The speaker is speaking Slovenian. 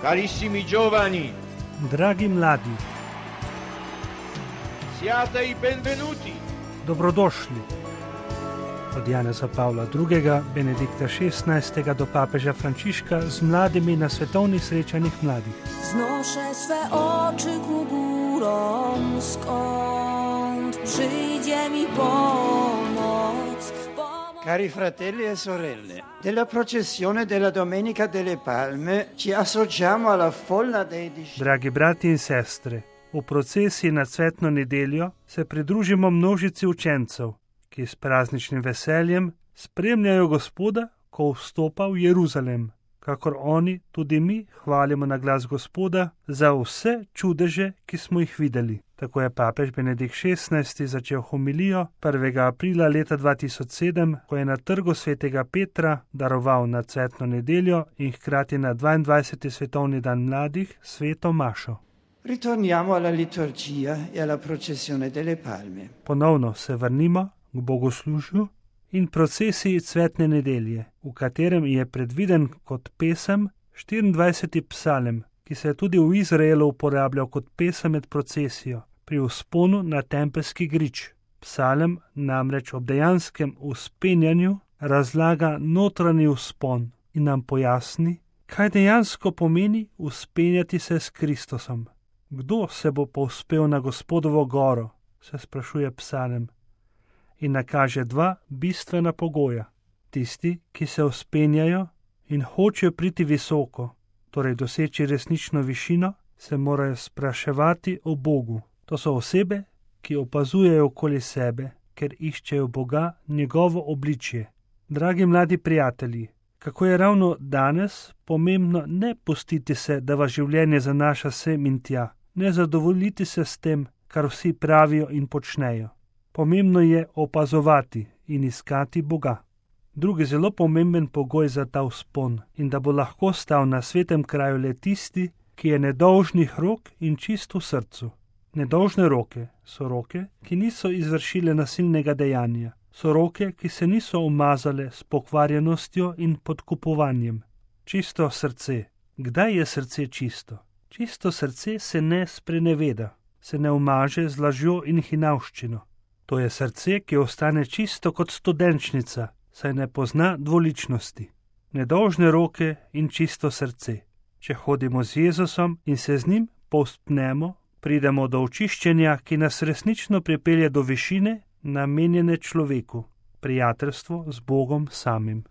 Carissimi giovani, Dragi mladi, siate i benvenuti. dobrodošli. Od Janeza Pavla II., Benedikta XVI. Do papeža Frančiška z mladimi na svetovnih srečanjih mladih. Znoszę swe oczy ku górom, skąd przyjdzie mi pomoc. Cari fratelli e sorelle, della processione della Domenica delle Palme ci associamo alla folla dei discepoli. Dragi brati in sestre, v procesiji na cvetno nedeljo se pridružimo množici učencev, ki s prazničnim veseljem spremljajo Gospoda, ko vstopa v Jeruzalem. Kakor oni, tudi mi hvalimo na glas Gospoda za vse čudeže, ki smo jih videli. Tako je papež Benedikt XVI. Začel homilijo 1. aprila leta 2007, ko je na trgu svetega Petra daroval na cvetno nedeljo in hkrati na 22. svetovni dan mladih sveto mašo. Ritorniamo alla liturgia e alla processione delle Palme. Ponovno se vrnimo k bogoslužju in procesiji cvetne nedelje, v katerem je predviden kot pesem 24. psalem, ki se je tudi v Izraelu uporabljal kot pesem med procesijo pri vzponu na tempelski grič. Psalem namreč ob dejanskem vzpenjanju razlaga notranji vzpon in nam pojasni, kaj dejansko pomeni vzpenjati se s Kristusom. Kdo se bo povzpel na Gospodovo goro, se sprašuje psalem, in nakaže dva bistvena pogoja. Tisti, ki se vzpenjajo in hočejo priti visoko, torej doseči resnično višino, se morajo spraševati o Bogu. To so osebe, ki opazujejo okoli sebe, ker iščejo Boga, njegovo obličje. Dragi mladi prijatelji, kako je ravno danes pomembno ne pustiti se, da vas življenje zanaša sem in tja, ne zadovoljiti se s tem, kar vsi pravijo in počnejo. Pomembno je opazovati in iskati Boga. Drugi zelo pomemben pogoj za ta vzpon in da bo lahko stal na svetem kraju le tisti, ki je nedolžnih rok in čist v srcu. Nedolžne roke so roke, ki niso izvršile nasilnega dejanja, so roke, ki se niso umazale s pokvarjenostjo in podkupovanjem. Čisto srce. Kdaj je srce čisto? Čisto srce se ne spreneveda, se ne umaže z lažjo in hinavščino. To je srce, ki ostane čisto kot studenčnica, saj ne pozna dvoličnosti. Nedolžne roke in čisto srce. Če hodimo z Jezusom in se z njim povzpnemo, pridemo do očiščenja, ki nas resnično pripelje do višine, namenjene človeku, prijateljstvo z Bogom samim.